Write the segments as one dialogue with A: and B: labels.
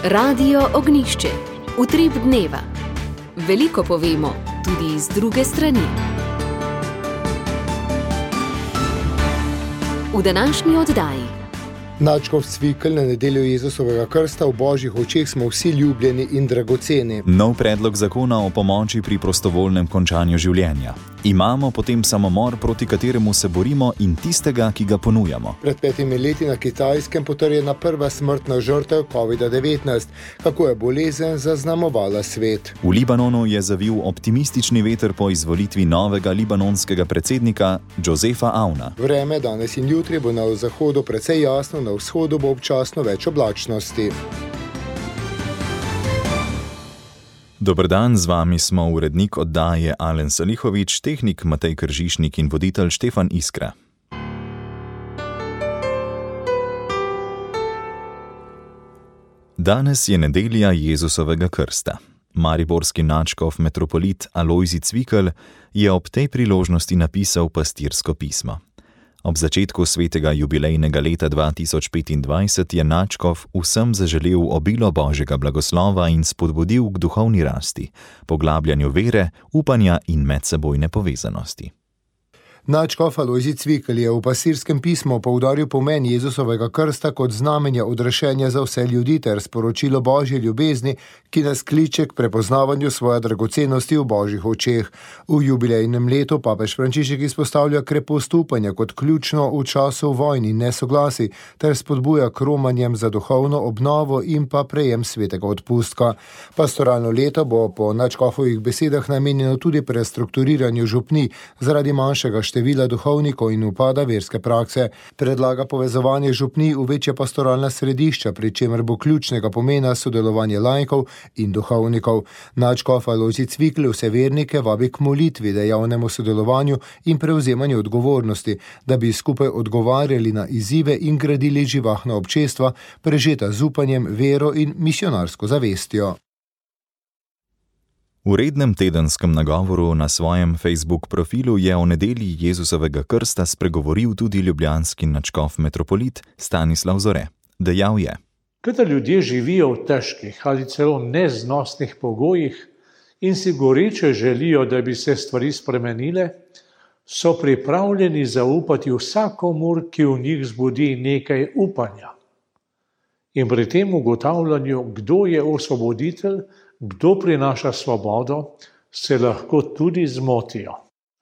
A: Radio Ognišče, utrip dneva. Veliko povemo, tudi z druge strani. V današnji oddaji.
B: Nadškof Cvikl, na nedeljo Jezusovega krsta, v Božjih očeh smo vsi ljubljeni in dragoceni.
C: Nov predlog zakona o pomoči pri prostovoljnem končanju življenja. Imamo potem samomor, proti kateremu se borimo, in tistega, ki ga ponujamo.
B: Pred 5 leti na Kitajskem potrjena prva smrtna žrtev COVID-19. Kako je bolezen zaznamovala svet?
C: V Libanonu je zavil optimistični veter po izvolitvi novega libanonskega predsednika Josefa Auna.
B: Vreme danes in jutri bo na zahodu precej jasno, na vzhodu bo občasno več oblačnosti.
C: Dober dan, z vami smo urednik oddaje Alen Salihovič, tehnik Matej Kržišnik in voditelj Štefan Iskra. Danes je nedelja Jezusovega krsta. Mariborski nadškof metropolit Alojzij Cvikl je ob tej priložnosti napisal pastirsko pismo. Ob začetku svetega jubilejnega leta 2025 je nadškof vsem zaželel obilo Božjega blagoslova in spodbudil k duhovni rasti, poglabljanju vere, upanja in medsebojne povezanosti.
B: Nadškof Alojzij Cvikl je v pastirskem pismu poudaril pomen Jezusovega krsta kot znamenja odrešenja za vse ljudi ter sporočilo Božje ljubezni, ki nas kliče k prepoznavanju svoje dragocenosti v Božjih očeh. V jubilejnem letu papež Frančišek izpostavlja krepost upanja kot ključno v času vojn in nesoglasij ter spodbuja k romanjem za duhovno obnovo in pa prejem svetega odpustka. Pastoralno leto bo po nadškofovih besedah namenjeno tudi prestrukturiranju župnij zaradi manjšega števila duhovnikov in upada verske prakse. Predlaga povezovanje župnij v večja pastoralna središča, pri čemer bo ključnega pomena sodelovanje laikov in duhovnikov. Nadškof Alojzij Cvikl vse vernike vabi k molitvi, dejavnemu sodelovanju in prevzemanju odgovornosti, da bi skupaj odgovarjali na izzive in gradili živahna občestva, prežeta z upanjem, vero in misionarsko zavestjo.
C: V rednem tedenskem nagovoru na svojem Facebook profilu je o nedelji Jezusovega krsta spregovoril tudi ljubljanski nadškof metropolit Stanislav Zore. Dejal je:
D: Kadar ljudje živijo v težkih ali celo neznosnih pogojih in si goreče želijo, da bi se stvari spremenile, so pripravljeni zaupati vsakomur, ki v njih zbudi nekaj upanja. In pri tem ugotavljanju, kdo je osvoboditelj, kdo prinaša svobodo, se lahko tudi zmotijo.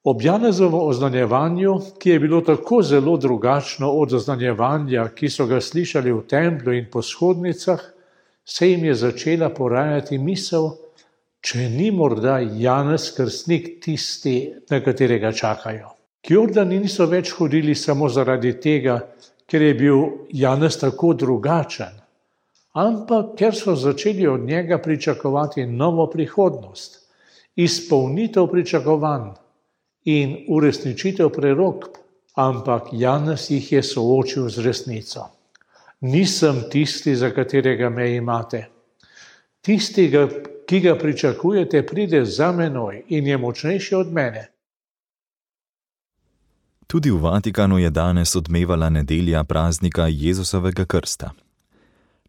D: Ob Janezovem oznanjevanju, ki je bilo tako zelo drugačno od oznanjevanja, ki so ga slišali v templju in po shodnicah, se jim je začela porajati misel, če ni morda Janez Krstnik tisti, na katerega čakajo. K Jordani niso več hodili samo zaradi tega, ker je bil Janez tako drugačen, ampak ker so začeli od njega pričakovati novo prihodnost, izpolnitev pričakovanj in uresničitev prerokb, ampak Janez jih je soočil z resnico. Nisem tisti, za katerega me imate. Tistega, ki ga pričakujete, pride za menoj in je močnejši od mene.
C: Tudi v Vatikanu je danes odmevala nedelja praznika Jezusovega krsta.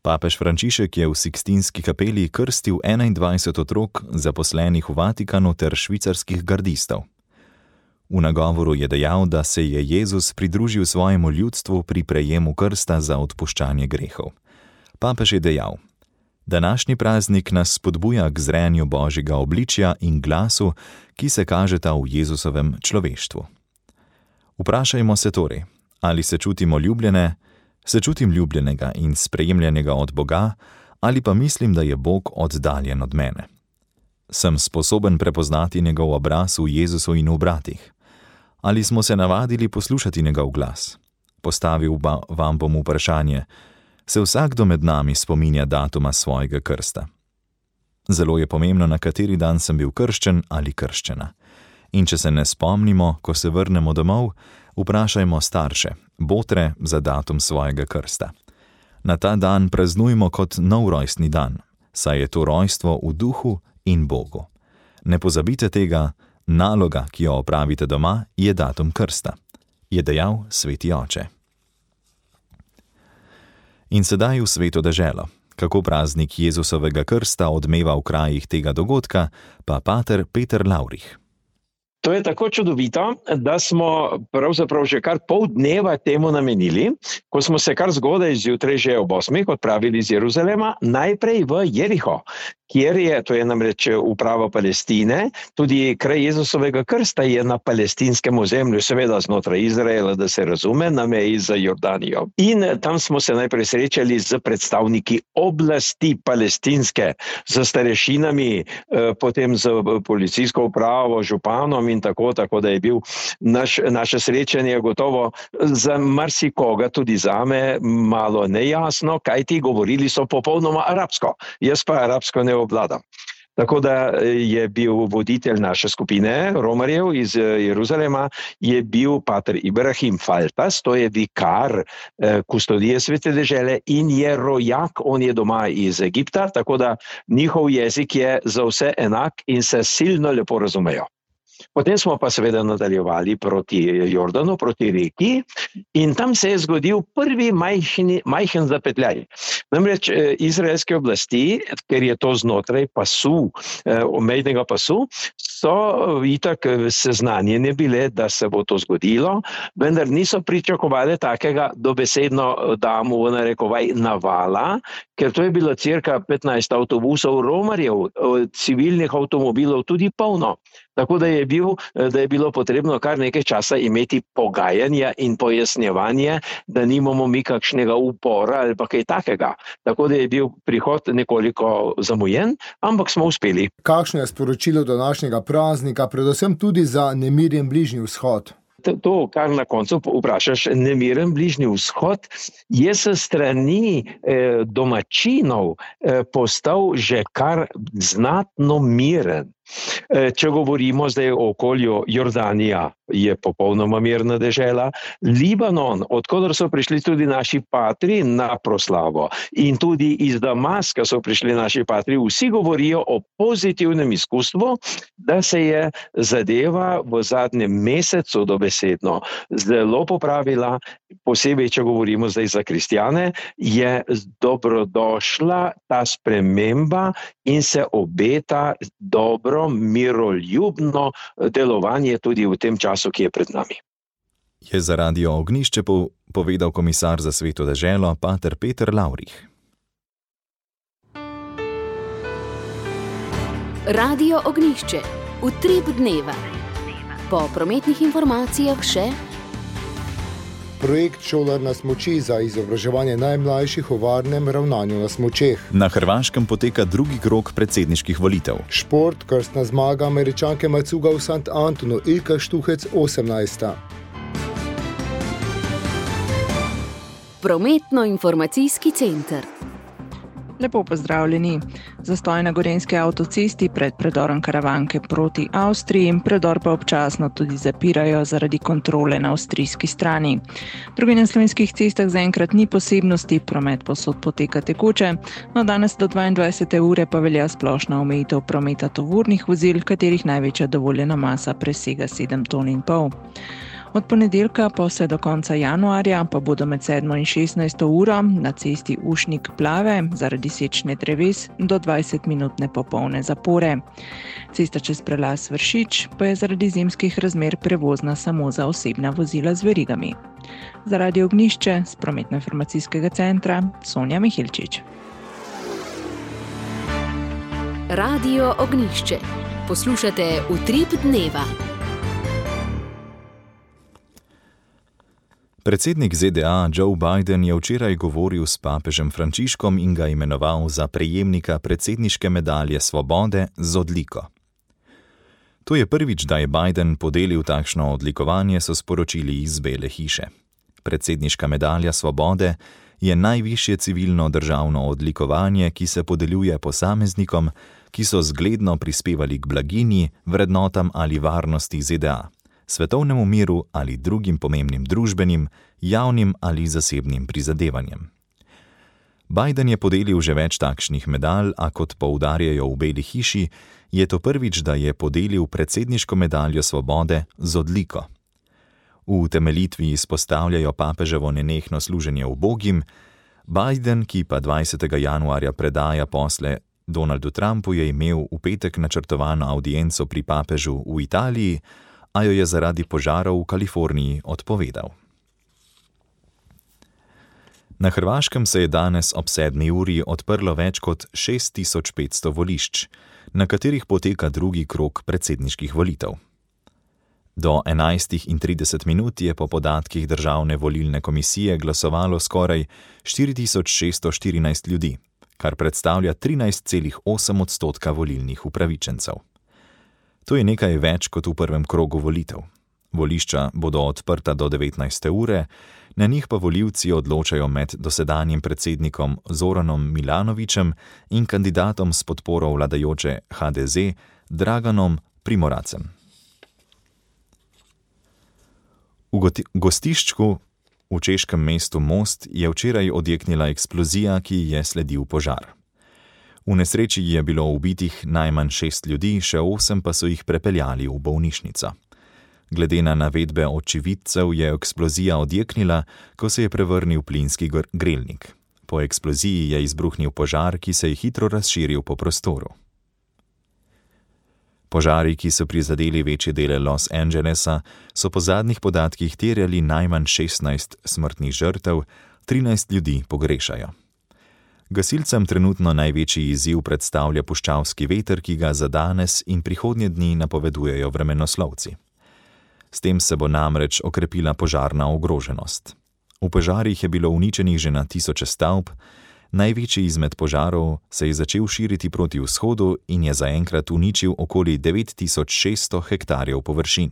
C: Papež Frančišek je v Sikstinski kapeli krstil 21 otrok, zaposlenih v Vatikanu ter švicarskih gardistov. V nagovoru je dejal, da se je Jezus pridružil svojemu ljudstvu pri prejemu krsta za odpuščanje grehov. Papež je dejal: Današnji praznik nas spodbuja k zrenju Božjega obličja in glasu, ki se kažeta v Jezusovem človeštvu. Vprašajmo se torej, ali se čutimo ljubljene, se čutim ljubljenega in sprejemljenega od Boga, ali pa mislim, da je Bog oddaljen od mene. Sem sposoben prepoznati njegov obraz v Jezusu in v bratih? Ali smo se navadili poslušati njegov glas? Postavil vam bom vprašanje: se vsakdo med nami spominja datuma svojega krsta? Zelo je pomembno, na kateri dan sem bil krščen ali krščena. In če se ne spomnimo, ko se vrnemo domov, vprašajmo starše, botre, za datum svojega krsta. Na ta dan praznujmo kot nov rojstni dan, saj je to rojstvo v duhu in Bogu. Ne pozabite tega, naloga, ki jo opravite doma, je datum krsta, je dejal sveti oče. In sedaj v sveto deželo. Kako praznik Jezusovega krsta odmeva v krajih tega dogodka, pa pater Peter Laurich.
E: To je tako čudovito, da smo pravzaprav že kar pol dneva temu namenili, ko smo se kar zgodaj zjutraj že ob 8 odpravili iz Jeruzalema, najprej v Jeriho, kjer je, to je namreč uprava Palestine, tudi kraj Jezusovega krsta je na palestinskem ozemlju, seveda znotraj Izraela, da se razume, na meji z Jordanijo. In tam smo se najprej srečali z predstavniki oblasti palestinske, z starešinami, potem z policijsko upravo, županom in tako da je bil naše srečanje gotovo za marsikoga, tudi zame, malo nejasno, kajti govorili so popolnoma arabsko. Jaz pa arabsko ne obvladam. Tako da je bil voditelj naše skupine romarjev iz Jeruzalema, je bil pater Ibrahim Faltas, to je vikar kustodije Svete dežele in je rojak, on je doma iz Egipta, tako da njihov jezik je za vse enak in se silno lepo razumejo. Potem smo pa seveda nadaljevali proti Jordanu, proti reki in tam se je zgodil prvi majhen zapetljaj. Namreč izraelske oblasti, ker je to znotraj pasu, omejnega pasu, so itak seznanjene bile, da se bo to zgodilo, vendar niso pričakovali takega dobesedno, dam v narekovaj, navala, ker to je bilo cirka 15 avtobusov romarjev, civilnih avtomobilov tudi polno. Tako da je bilo potrebno kar nekaj časa imeti pogajanja in pojasnjevanje, da nimamo mi kakšnega upora ali pa kaj takega. Tako da je bil prihod nekoliko zamujen, ampak smo uspeli.
B: Kakšno je sporočilo današnjega praznika, predvsem tudi za nemiren Bližnji vzhod?
E: To, kar na koncu vprašaš, nemiren Bližnji vzhod, je s strani domačinov postal že kar znatno miren. Če govorimo zdaj o okolju, Jordanija je popolnoma mirna dežela, Libanon, odkudar so prišli tudi naši patri na proslavo in tudi iz Damaska so prišli naši patri, vsi govorijo o pozitivnem izkustvu, da se je zadeva v zadnjem mesecu dobesedno zelo popravila, posebej, če govorimo zdaj za kristjane, je dobrodošla ta sprememba in se obeta dobro, miroljubno delovanje tudi v tem času, ki je pred nami.
C: Je za Radio Ognjišče povedal komisar za Sveto deželo, pater Peter Laurich.
A: Radio Ognjišče, utrip dneva. Po prometnih informacijah še
B: projekt Šolar na smuči za izobraževanje najmlajših o varnem ravnanju na smučeh.
C: Na Hrvaškem poteka drugi krog predsedniških volitev.
B: Šport, krstna zmaga Američanke Macuga v St. Antonu, Ilka Štuhec 18.
A: Prometno-informacijski center.
F: Lepo pozdravljeni. Zastoj na gorenjski avtocesti pred predorom Karavanke proti Avstriji, predor pa občasno tudi zapirajo zaradi kontrole na avstrijski strani. Drugi na slovenskih cestah zaenkrat ni posebnosti, promet povsod poteka tekoče, no danes do 22. ure pa velja splošna omejitev prometa tovornih vozil, katerih največja dovoljena masa presega 7,5 ton. Od ponedeljka pa vse do konca januarja pa bodo med 7 in 16 uro na cesti Ušnik Plave zaradi sečne dreves do 20-minutne popolne zapore. Cesta čez prelaz Vršič pa je zaradi zimskih razmer prevozna samo za osebna vozila z verigami. Za Radio Ognjišče z prometno-informacijskega centra Sonja Mihilčič.
A: Radio Ognjišče. Poslušate utrip dneva.
C: Predsednik ZDA Joe Biden je včeraj govoril s papežem Frančiškom in ga imenoval za prejemnika predsedniške medalje svobode z odliko. To je prvič, da je Biden podelil takšno odlikovanje, so sporočili iz Bele hiše. Predsedniška medalja svobode je najvišje civilno državno odlikovanje, ki se podeljuje posameznikom, ki so zgledno prispevali k blaginji, vrednotam ali varnosti ZDA, svetovnemu miru ali drugim pomembnim družbenim, javnim ali zasebnim prizadevanjem. Biden je podelil že več takšnih medalj, a kot poudarjajo v Beli hiši, je to prvič, da je podelil predsedniško medaljo svobode z odliko. V utemeljitvi izpostavljajo papeževo nenehno služenje ubogim, Biden, ki pa 20. januarja predaja posle Donaldu Trumpu, je imel v petek načrtovano audienco pri papežu v Italiji, a jo je zaradi požarov v Kaliforniji odpovedal. Na Hrvaškem se je danes ob 7. uri odprlo več kot 6500 volišč, na katerih poteka drugi krog predsedniških volitev. Do 11:30 je po podatkih Državne volilne komisije glasovalo skoraj 4614 ljudi, kar predstavlja 13,8% volilnih upravičencev. To je nekaj več kot v prvem krogu volitev. Volišča bodo odprta do 19. ure, na njih pa volivci odločajo med dosedanjim predsednikom Zoranom Milanovićem in kandidatom s podporo vladajoče HDZ Draganom Primoracem. V gostiščku v češkem mestu Most je včeraj odjeknila eksplozija, ki je sledil požar. V nesreči je bilo ubitih najmanj 6 ljudi, še 8 pa so jih prepeljali v bolnišnico. Glede na navedbe očividcev je eksplozija odjeknila, ko se je prevrnil plinski grelnik. Po eksploziji je izbruhnil požar, ki se je hitro razširil po prostoru. Požari, ki so prizadeli večje dele Los Angelesa, so po zadnjih podatkih terjali najmanj 16 smrtnih žrtev, 13 ljudi pogrešajo. Gasilcem trenutno največji izziv predstavlja puščavski veter, ki ga za danes in prihodnje dni napovedujejo vremenoslovci. S tem se bo namreč okrepila požarna ogroženost. V požarih je bilo uničenih že na tisoče stavb, največji izmed požarov se je začel širiti proti vzhodu in je zaenkrat uničil okoli 9600 hektarjev površin.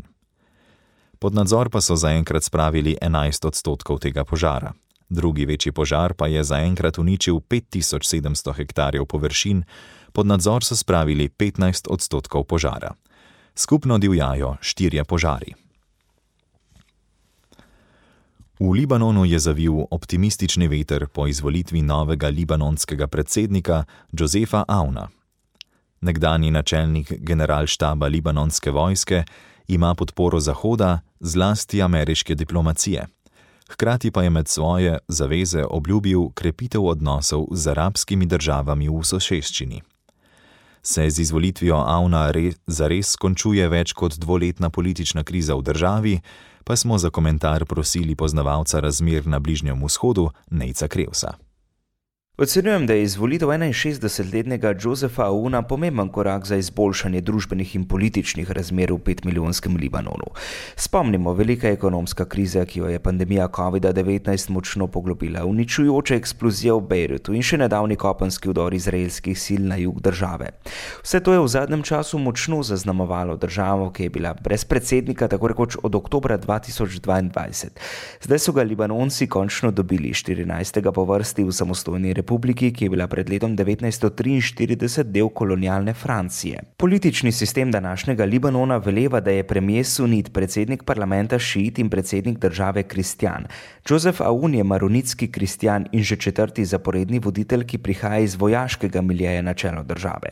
C: Pod nadzor pa so zaenkrat spravili 11% tega požara. Drugi večji požar pa je zaenkrat uničil 5700 hektarjev površin, pod nadzor so spravili 15% požara. Skupno divjajo 4 požari. V Libanonu je zavil optimistični veter po izvolitvi novega libanonskega predsednika Josefa Auna. Nekdanji načelnik generalštaba libanonske vojske ima podporo Zahoda, zlasti ameriške diplomacije. Hkrati pa je med svoje zaveze obljubil krepitev odnosov z arabskimi državami v soseščini. Se z izvolitvijo Auna zares končuje več kot 2-letna politična kriza v državi, pa smo za komentar prosili poznavalca razmer na Bližnjem vzhodu Nejca Krevsa.
G: Ocenjujem, da je izvolitev 61-letnega Josefa Auna pomemben korak za izboljšanje družbenih in političnih razmer v 5-milijonskem Libanonu. Spomnimo, velika ekonomska kriza, ki jo je pandemija COVID-19 močno poglobila, uničujoča eksplozija v Bejrutu in še nedavni kopenski vdor izraelskih sil na jug države. Vse to je v zadnjem času močno zaznamovalo državo, ki je bila brez predsednika tako rekoč od oktobra 2022. Zdaj so ga Libanonci končno dobili 14. po vrsti v samostojni republiki, ki je bila pred letom 1943 del kolonialne Francije. Politični sistem današnjega Libanona veleva, da je premier sunit, predsednik parlamenta šiit in predsednik države kristjan. Josef Aoun je maronitski kristjan in že 4. zaporedni voditelj, ki prihaja iz vojaškega miljeja na čelo države.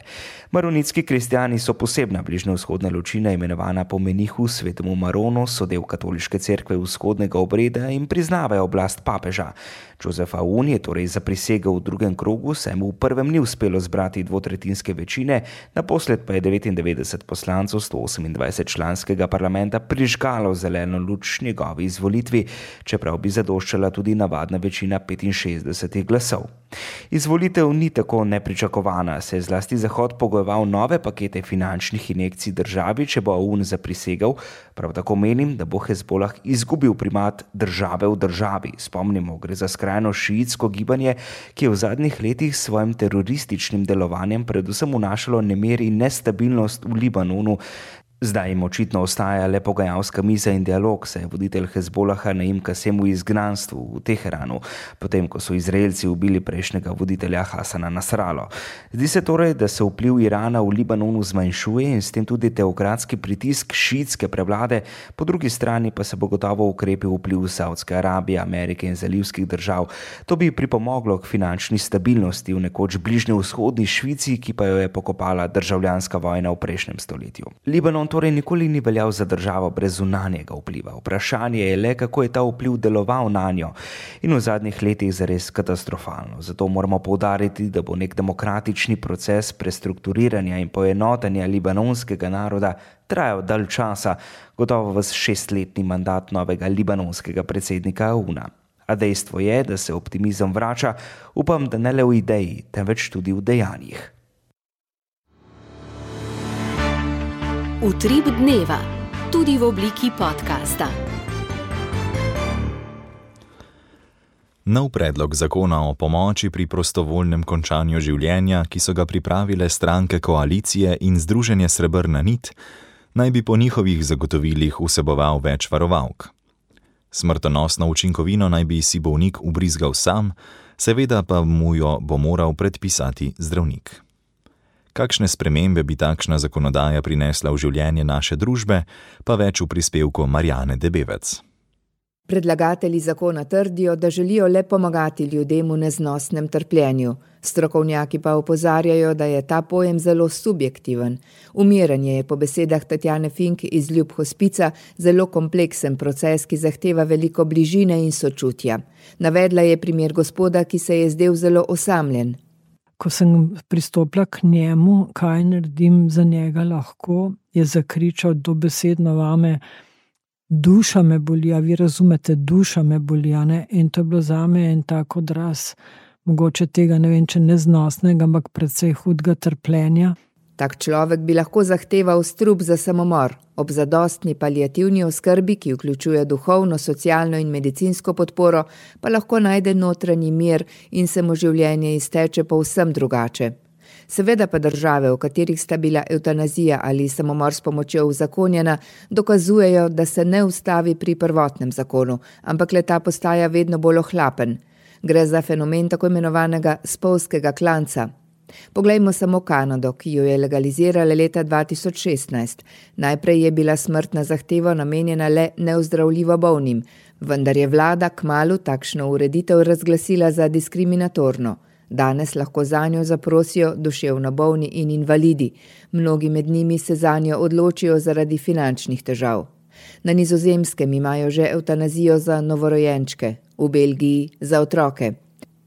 G: Maronitski kristjani so posebna bližnjevzhodna ločina, imenovana po menihu svetemu Maronu, so del katoliške cerkve vzhodnega obreda in priznavajo oblast papeža. Josef Aoun je torej zaprisegel v drugem krogu, saj mu v prvem ni uspelo zbrati 2/3 večine, naposled pa je 99 poslancev 128-članskega parlamenta prižgalo zeleno luč njegovi izvolitvi, čeprav bi zadoščala tudi navadna večina 65 glasov. Izvolitev ni tako nepričakovana, se je zlasti Zahod pogojeval nove pakete finančnih injekcij državi, če bo Aoun zaprisegal. Prav tako menim, da bo Hezbolah izgubil primat države v državi. Spomnimo, gre za skrajno šiitsko gibanje, ki je v zadnjih letih s svojim terorističnim delovanjem predvsem vnašalo nemir in nestabilnost v Libanonu. Zdaj jim očitno ostaja le pogajalska miza in dialog, saj je voditelj Hezbolaha Naim Kasem v izgnanstvu v Teheranu, potem ko so Izraelci ubili prejšnjega voditelja Hasana Nasrallo. Zdi se torej, da se vpliv Irana v Libanonu zmanjšuje in s tem tudi teokratski pritisk šiitske prevlade, po drugi strani pa se bo gotovo ukrepil vpliv Saudske Arabije, Amerike in zalivskih držav. To bi pripomoglo k finančni stabilnosti v nekoč bližnjevzhodni Švici, ki pa jo je pokopala državljanska vojna v prejšnjem stoletju. Libanon torej nikoli ni veljal za državo brez zunanjega vpliva. Vprašanje je le, kako je ta vpliv deloval na njo in v zadnjih letih zares katastrofalno. Zato moramo poudariti, da bo nek demokratični proces prestrukturiranja in poenotenja libanonskega naroda trajal dalj časa, gotovo v 6-letni mandat novega libanonskega predsednika AUNA. A dejstvo je, da se optimizem vrača, upam, da ne le v ideji, temveč tudi v dejanjih.
A: Utrip dneva, tudi v obliki podcasta.
C: Nov predlog zakona o pomoči pri prostovoljnem končanju življenja, ki so ga pripravile stranke koalicije in Združenje Srebrna nit, naj bi po njihovih zagotovilih vseboval več varovalk. Smrtonosno učinkovino naj bi si bolnik ubrizgal sam, seveda pa mu jo bo moral predpisati zdravnik. Kakšne spremembe bi takšna zakonodaja prinesla v življenje naše družbe, pa več v prispevku Marjane Debevec.
H: Predlagatelji zakona trdijo, da želijo le pomagati ljudem v neznosnem trpljenju. Strokovnjaki pa opozarjajo, da je ta pojem zelo subjektiven. Umiranje je po besedah Tatjane Fink iz Ljub hospica zelo kompleksen proces, ki zahteva veliko bližine in sočutja. Navedla je primer gospoda, ki se je zdel zelo osamljen.
I: Ko sem pristopila k njemu, kaj naredim za njega lahko, je zakričal dobesedno vame: duša me boli, a vi razumete, duša me boli, ne? In to je bilo zame en tak odraz, mogoče tega, ne vem, če neznosnega, ampak precej hudega trpljenja.
H: Tak človek bi lahko zahteval strup za samomor. Ob zadostni paliativni oskrbi, ki vključuje duhovno, socialno in medicinsko podporo, pa lahko najde notranji mir in se mu življenje izteče povsem drugače. Seveda pa države, v katerih sta bila evtanazija ali samomor s pomočjo uzakonjena, dokazujejo, da se ne ustavi pri prvotnem zakonu, ampak le ta postaja vedno bolj ohlapen. Gre za fenomen tako imenovanega spolskega klanca. Poglejmo samo Kanado, ki jo je legalizirala leta 2016. Najprej je bila smrtna zahteva namenjena le neozdravljivo bolnim, vendar je vlada kmalu takšno ureditev razglasila za diskriminatorno. Danes lahko zanjo zaprosijo duševno bolni in invalidi. Mnogi med njimi se zanjo odločijo zaradi finančnih težav. Na Nizozemskem imajo že evtanazijo za novorojenčke, v Belgiji za otroke.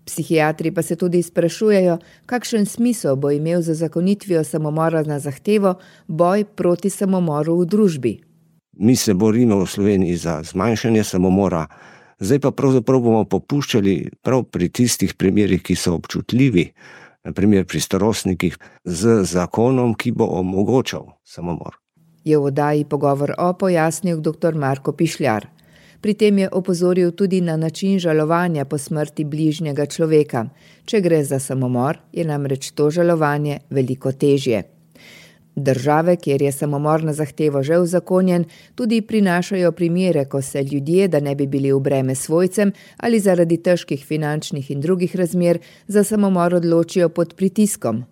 H: Psihiatri pa se tudi sprašujejo, kakšen smisel bo imel za zakonitvijo samomora na zahtevo boj proti samomoru v družbi.
J: Mi se borimo v Sloveniji za zmanjšanje samomora, zdaj pa pravzaprav bomo popuščali prav pri tistih primerih, ki so občutljivi, na primer pri starostnikih, z zakonom, ki bo omogočal samomor.
H: Je v oddaji Pogovor o pojasnil dr. Marko Pišljar. Pri tem je opozoril tudi na način žalovanja po smrti bližnjega človeka. Če gre za samomor, je namreč to žalovanje veliko težje. Države, kjer je samomor na zahtevo že uzakonjen, tudi prinašajo primere, ko se ljudje, da ne bi bili v breme svojcem ali zaradi težkih finančnih in drugih razmer, za samomor odločijo pod pritiskom.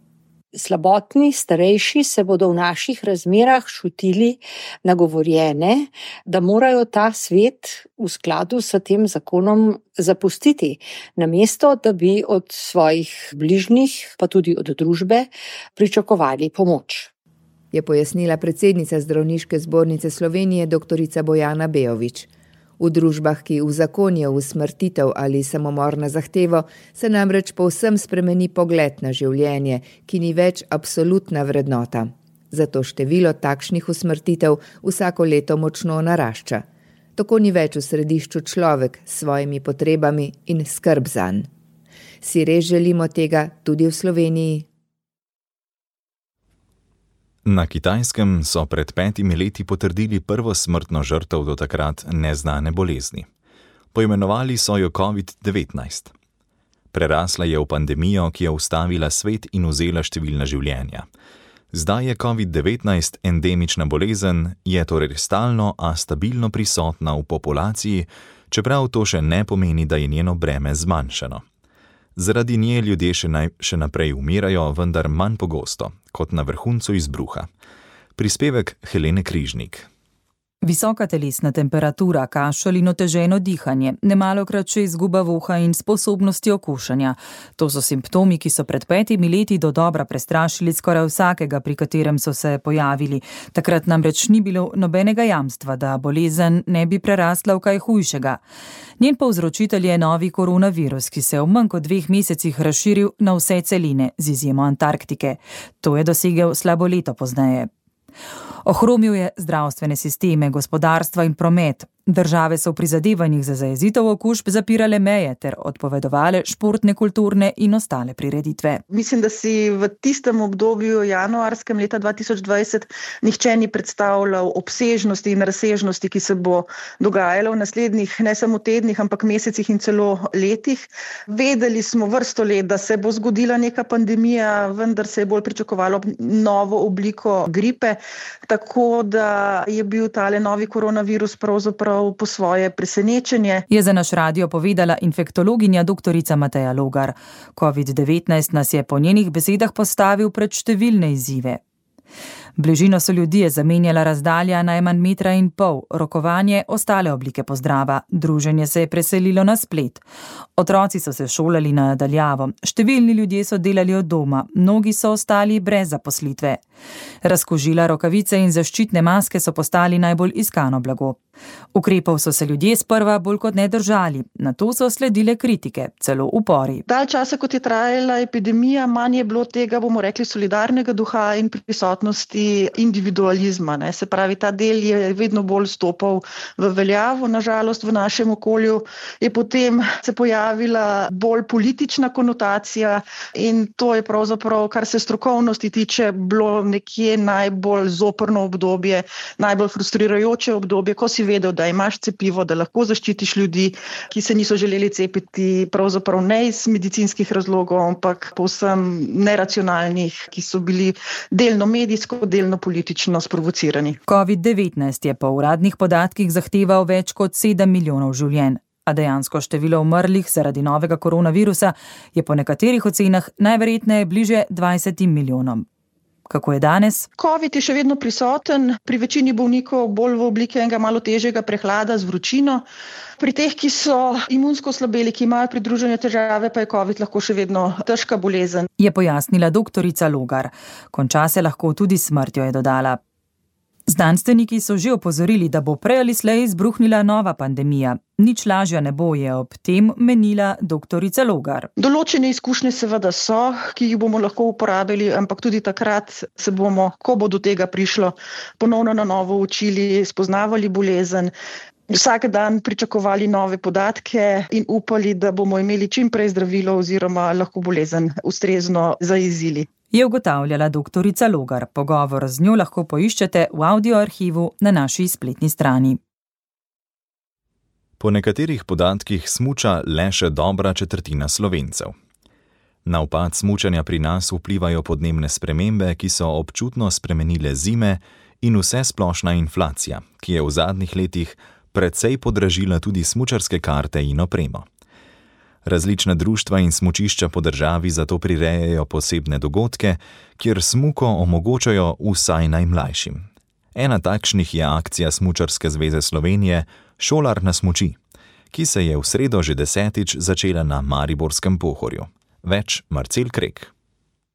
K: Slabotni, starejši se bodo v naših razmerah čutili nagovorjene, da morajo ta svet v skladu s tem zakonom zapustiti, namesto da bi od svojih bližnjih, pa tudi od družbe, pričakovali pomoč.
H: Je pojasnila predsednica Zdravniške zbornice Slovenije dr. Bojana Bejović. V družbah, ki uzakonijo usmrtitev ali samomor na zahtevo, se namreč povsem spremeni pogled na življenje, ki ni več absolutna vrednota. Zato število takšnih usmrtitev vsako leto močno narašča. Tako ni več v središču človek s svojimi potrebami in skrb zanj. Si res želimo tega tudi v Sloveniji?
C: Na Kitajskem so pred 5 leti potrdili prvo smrtno žrtev do takrat neznane bolezni. Poimenovali so jo COVID-19. Prerasla je v pandemijo, ki je ustavila svet in vzela številna življenja. Zdaj je COVID-19 endemična bolezen, je torej stalno, a stabilno prisotna v populaciji, čeprav to še ne pomeni, da je njeno breme zmanjšano. Zaradi nje ljudje še naprej umirajo, vendar manj pogosto, kot na vrhuncu izbruha. Prispevek Helene Križnik.
L: Visoka telesna temperatura, kašelj in oteženo dihanje, nemalokrat še izguba voha in sposobnosti okušanja. To so simptomi, ki so pred 5 leti dodobra prestrašili skoraj vsakega, pri katerem so se pojavili. Takrat namreč ni bilo nobenega jamstva, da bolezen ne bi prerasla v kaj hujšega. Njen povzročitelj je novi koronavirus, ki se je v manj kot 2 mesecih razširil na vse celine, z izjemo Antarktike. To je dosegel slabo leto pozneje. Ohromil je zdravstvene sisteme, gospodarstva in promet. Države so v prizadevanjih za zajezitev okužb zapirale meje ter odpovedovale športne, kulturne in ostale prireditve.
M: Mislim, da si v tistem obdobju januarskem leta 2020 nihče ni predstavljal obsežnosti in razsežnosti, ki se bo dogajalo v naslednjih ne samo tednih, ampak mesecih in celo letih. Vedeli smo vrsto let, da se bo zgodila neka pandemija, vendar se je bolj pričakovalo novo obliko gripe, tako da je bil tale novi koronavirus pravzaprav po svoje presenečenje.
L: Je za naš radio povedala infektologinja doktorica Mateja Logar. COVID-19 nas je po njenih besedah postavil pred številne izzive. Bližino so ljudje zamenjala razdalja najmanj 1,5 metra, rokovanje, ostale oblike pozdrava, druženje se je preselilo na splet. Otroci so se šolali na daljavo, številni ljudje so delali od doma, mnogi so ostali brez zaposlitve. Razkožila, rokavice in zaščitne maske so postali najbolj iskano blago. Ukrepov so se ljudje sprva bolj kot ne držali, nato so sledile kritike, celo upori.
M: Dalj časa, kot je trajala epidemija, manj je bilo tega, bomo rekli, solidarnega duha in prisotnosti individualizma. Se pravi, ta del je vedno bolj stopal v veljavo. Nažalost, v našem okolju je potem se pojavila bolj politična konotacija in to je pravzaprav, kar se strokovnosti tiče, bilo nekje najbolj zoprno obdobje, najbolj frustrirajoče obdobje, ko si vedel, da imaš cepivo, da lahko zaščitiš ljudi, ki se niso želeli cepiti, pravzaprav ne iz medicinskih razlogov, ampak povsem neracionalnih, ki so bili delno medijsko, delno politično sprovocirani.
L: COVID-19 je po uradnih podatkih zahteval več kot 7 milijonov življenj, a dejansko število umrlih zaradi novega koronavirusa je po nekaterih ocenah najverjetneje bliže 20 milijonom. Kako je danes?
M: COVID je še vedno prisoten, pri večini bolnikov bolj v obliki enega malo težjega prehlada z vročino. Pri teh, ki so imunsko slabeli, ki imajo pridružene težave, pa je COVID lahko še vedno težka bolezen.
L: Je pojasnila doktorica Logar. Konča se lahko tudi s smrtjo, je dodala. Znanstveniki so že opozorili, da bo prej ali slej izbruhnila nova pandemija. Nič lažja ne bo, je ob tem menila doktorica Logar.
M: Določene izkušnje seveda so, ki jih bomo lahko uporabili, ampak tudi takrat se bomo, ko bo do tega prišlo, ponovno na novo učili, spoznavali bolezen, vsak dan pričakovali nove podatke in upali, da bomo imeli čim prej zdravilo oziroma lahko bolezen ustrezno zajezili.
L: Je ugotavljala doktorica Logar. Pogovor z njo lahko poiščete v audioarhivu na naši spletni strani.
C: Po nekaterih podatkih smuča le še dobra četrtina Slovencev. Na upad smučanja pri nas vplivajo podnebne spremembe, ki so občutno spremenile zime, in vsesplošna inflacija, ki je v zadnjih letih precej podražila tudi smučarske karte in opremo. Različna društva in smučišča po državi zato prirejajo posebne dogodke, kjer smuko omogočajo vsaj najmlajšim. Ena takšnih je akcija Smučarske zveze Slovenije Šolar na smuči, ki se je v sredo že 10. začela na Mariborskem Pohorju. Več Marcel Krek.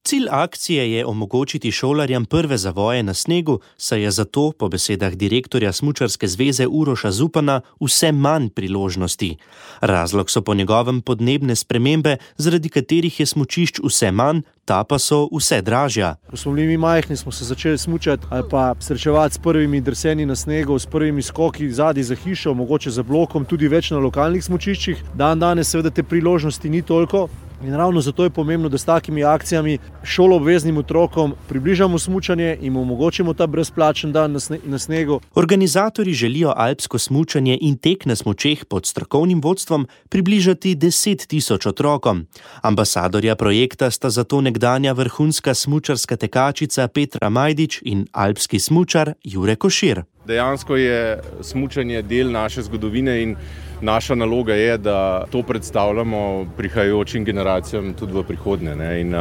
N: Cilj akcije je omogočiti šolarjem prve zavoje na snegu, saj je zato, po besedah direktorja Smučarske zveze Uroša Zupana, vse manj priložnosti. Razlog so po njegovem podnebne spremembe, zaradi katerih je smučišč vse manj, ta pa so vse dražja.
O: Ko smo bili mi majhni, smo se začeli smučati ali pa srečevati s prvimi drseni na snegu, s prvimi skoki zadaj za hišo, mogoče za blokom, tudi več na lokalnih smučiščih. Danes seveda te priložnosti ni toliko. In ravno zato je pomembno, da s takimi akcijami šoloobveznim otrokom približamo smučanje in omogočimo ta brezplačen dan na snegu.
N: Organizatorji želijo alpsko smučanje in tek na smučeh pod strokovnim vodstvom približati 10 000 otrokom. Ambasadorja projekta sta zato nekdanja vrhunska smučarska tekačica Petra Majdič in alpski smučar Jure Košir.
P: Dejansko je smučanje del naše zgodovine in naša naloga je, da to predstavljamo prihajajočim generacijam tudi v prihodnje. In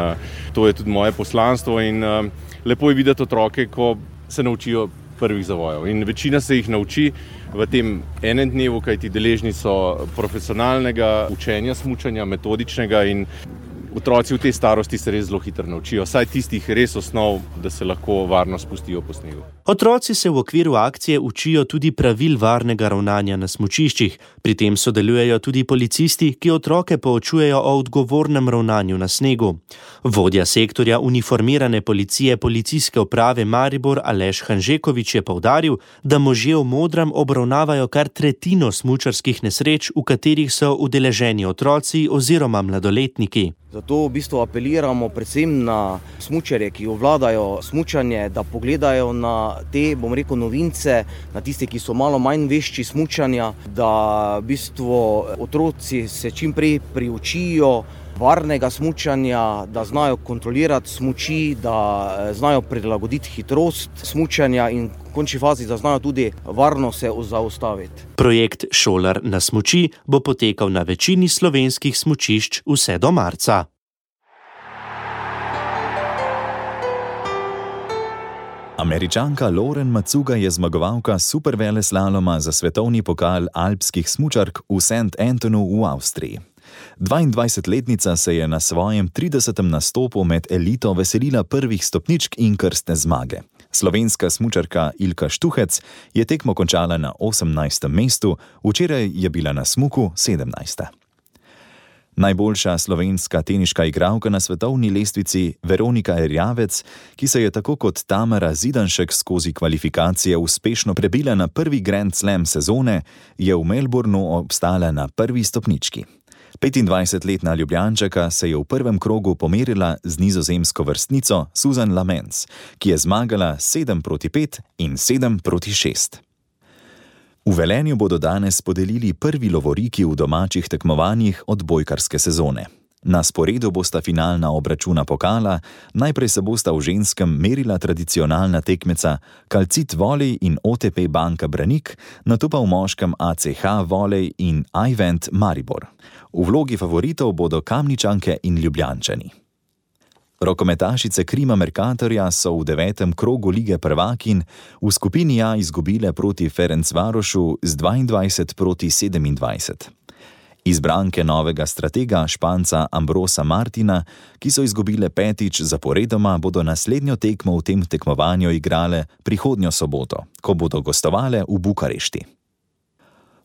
P: to je tudi moje poslanstvo in lepo je videti otroke, ko se naučijo prvih zavojev. In večina se jih nauči v tem enem dnevu, kajti deležni so profesionalnega učenja smučanja, metodičnega, in otroci v tej starosti se res zelo hitro naučijo, saj tistih res osnov, da se lahko varno spustijo po snegu.
N: Otroci se v okviru akcije učijo tudi pravil varnega ravnanja na smučiščih. Pri tem sodelujejo tudi policisti, ki otroke poučujejo o odgovornem ravnanju na snegu. Vodja sektorja uniformirane policije Policijske uprave Maribor Aleš Hanžekovič je poudaril, da možje v modrem obravnavajo kar tretjino smučarskih nesreč, v katerih so udeleženi otroci oziroma mladoletniki.
Q: Zato v bistvu apeliramo predvsem na smučarje, ki obvladajo smučanje, da pogledajo na te, novince, na tiste, ki so malo manj vešči smučanja, da v bistvu otroci se čim prej priučijo varnega smučanja, da znajo kontrolirati smuči, da znajo prilagoditi hitrost smučanja in v končni fazi, da znajo tudi varno se zaustaviti.
N: Projekt Šolar na smuči bo potekal na večini slovenskih smučišč vse do marca.
C: Američanka Lauren Macuga je zmagovalka superveleslaloma za svetovni pokal alpskih smučark v St. Antonu v Avstriji. 22-letnica se je na svojem 30. nastopu med elito veselila prvih stopničk in krstne zmage. Slovenska smučarka Ilka Štuhec je tekmo končala na 18. mestu, včeraj je bila na smuku 17. Najboljša slovenska teniška igralka na svetovni lestvici Veronika Erjavec, ki se je tako kot Tamara Zidanšek skozi kvalifikacije uspešno prebila na prvi Grand Slam sezone, je v Melbourneu obstala na prvi stopnički. 25-letna Ljubljančanka se je v prvem krogu pomerila z nizozemsko vrstnico Susan Lamens, ki je zmagala 7-5 in 7-6. V Velenju bodo danes podelili prvi lovoriki v domačih tekmovanjih odbojkarske sezone. Na sporedu bosta finalna obračuna pokala, najprej se bosta v ženskem merila tradicionalna tekmeca Kalcit Volej in OTP Banka Branik, nato pa v moškem ACH Volej in iVent Maribor. V vlogi favoritov bodo Kamničanke in Ljubljančani. Rokometašice Krima Mercatorja so v 9. krogu lige prvakinj v skupini A izgubile proti Ferencvarošu z 22-27. Izbranke novega stratega Španca Ambrosa Martina, ki so izgubile 5. zaporedoma, bodo naslednjo tekmo v tem tekmovanju igrale prihodnjo soboto, ko bodo gostovale v Bukarešti.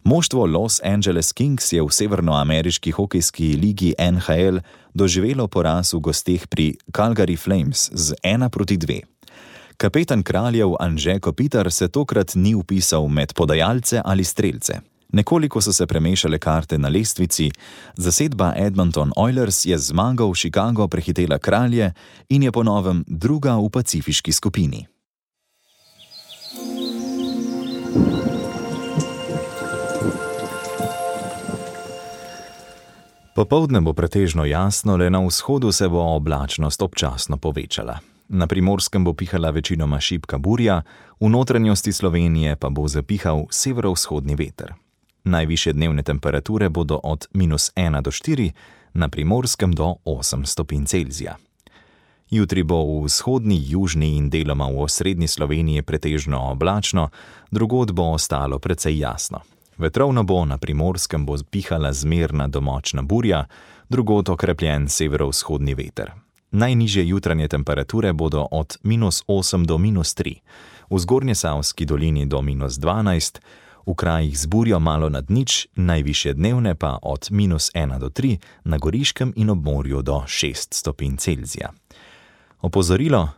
C: Moštvo Los Angeles Kings je v severnoameriški hokejski ligi NHL doživelo poraz v gosteh pri Calgary Flames z 1-2. Kapetan Kraljev Anže Kopitar se tokrat ni vpisal med podajalce ali strelce. Nekoliko so se premešale karte na lestvici, zasedba Edmonton Oilers je zmago v Chicago prehitela Kralje in je po novem druga v pacifiški skupini. Popoldne bo pretežno jasno, le na vzhodu se bo oblačnost občasno povečala. Na Primorskem bo pihala večinoma šibka burja, v notranjosti Slovenije pa bo zapihal severovzhodni veter. Najvišje dnevne temperature bodo od -1 do 4, na Primorskem do 8 stopinj Celzija. Jutri bo v vzhodni, južni in deloma v osrednji Sloveniji pretežno oblačno, drugod bo ostalo precej jasno. Vetrovno bo, na Primorskem bo pihala zmerna do močna burja, drugod okrepljen severovzhodni veter. Najnižje jutranje temperature bodo od -8 do -3, v Zgornjesavski dolini do -12, v krajih z burjo malo nad nič, najvišje dnevne pa od -1 do 3, na Goriškem in ob morju do 6 stopinj Celzija. Opozorilo: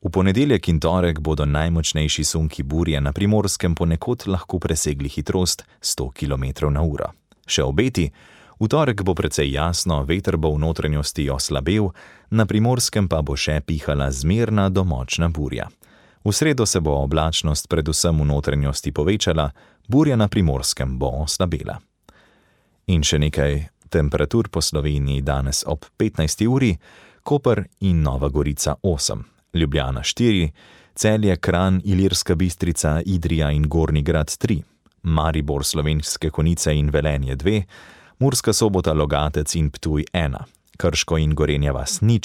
C: v ponedeljek in torek bodo najmočnejši sunki burje na Primorskem ponekod lahko presegli hitrost 100 km/h. Še obeti: v torek bo precej jasno, veter bo v notranjosti oslabel, na Primorskem pa bo še pihala zmerna do močna burja. V sredo se bo oblačnost predvsem v notranjosti povečala, burja na Primorskem bo oslabela. In še nekaj temperatur po Sloveniji danes ob 15. uri: Koper in Nova Gorica 8, Ljubljana 4, Celje, Kranj, Ilirska Bistrica, Idrija in Gornji Grad 3, Maribor, Slovenske Konjice in Velenje 2, Murska Sobota, Logatec in Ptuj 1, Krško in Gorenja vas 0,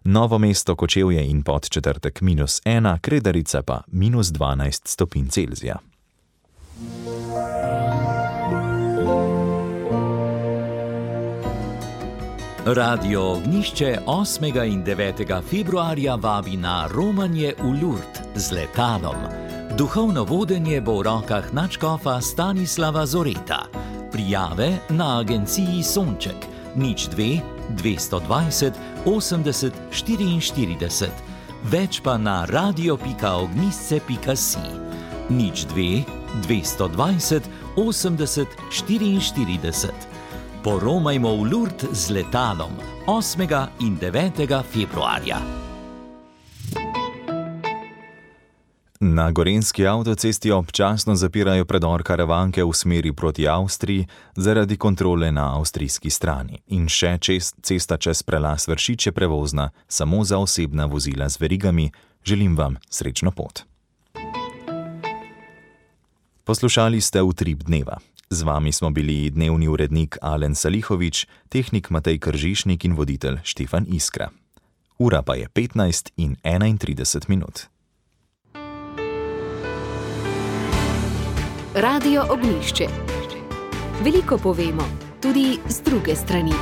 C: Novo mesto, Kočevje in Podčetrtek -1, Kredarica pa -12 stopinj Celzija.
R: Radio Ognjišče 8. in 9. februarja vabi na romanje v Lourdes z letalom. Duhovno vodenje bo v rokah nadškofa Stanislava Zoreta. Prijave na agenciji Sonček 02 220 80 44, več pa na radio.ognjisce.si 02 220 80 44. Poromajmo v Lourdes z letalom 8. in 9. februarja.
C: Na gorenjski avtocesti občasno zapirajo predor Karavanke v smeri proti Avstriji zaradi kontrole na avstrijski strani. In še cesta čez prelaz Vršič je prevozna samo za osebna vozila z verigami. Želim vam srečno pot. Poslušali ste Utrip dneva. Z vami smo bili dnevni urednik Alen Salihovič, tehnik Matej Kržišnik in voditelj Štefan Iskra. Ura pa je 15 in 31 minut.
A: Radio Ognjišče. Veliko povemo, tudi z druge strani.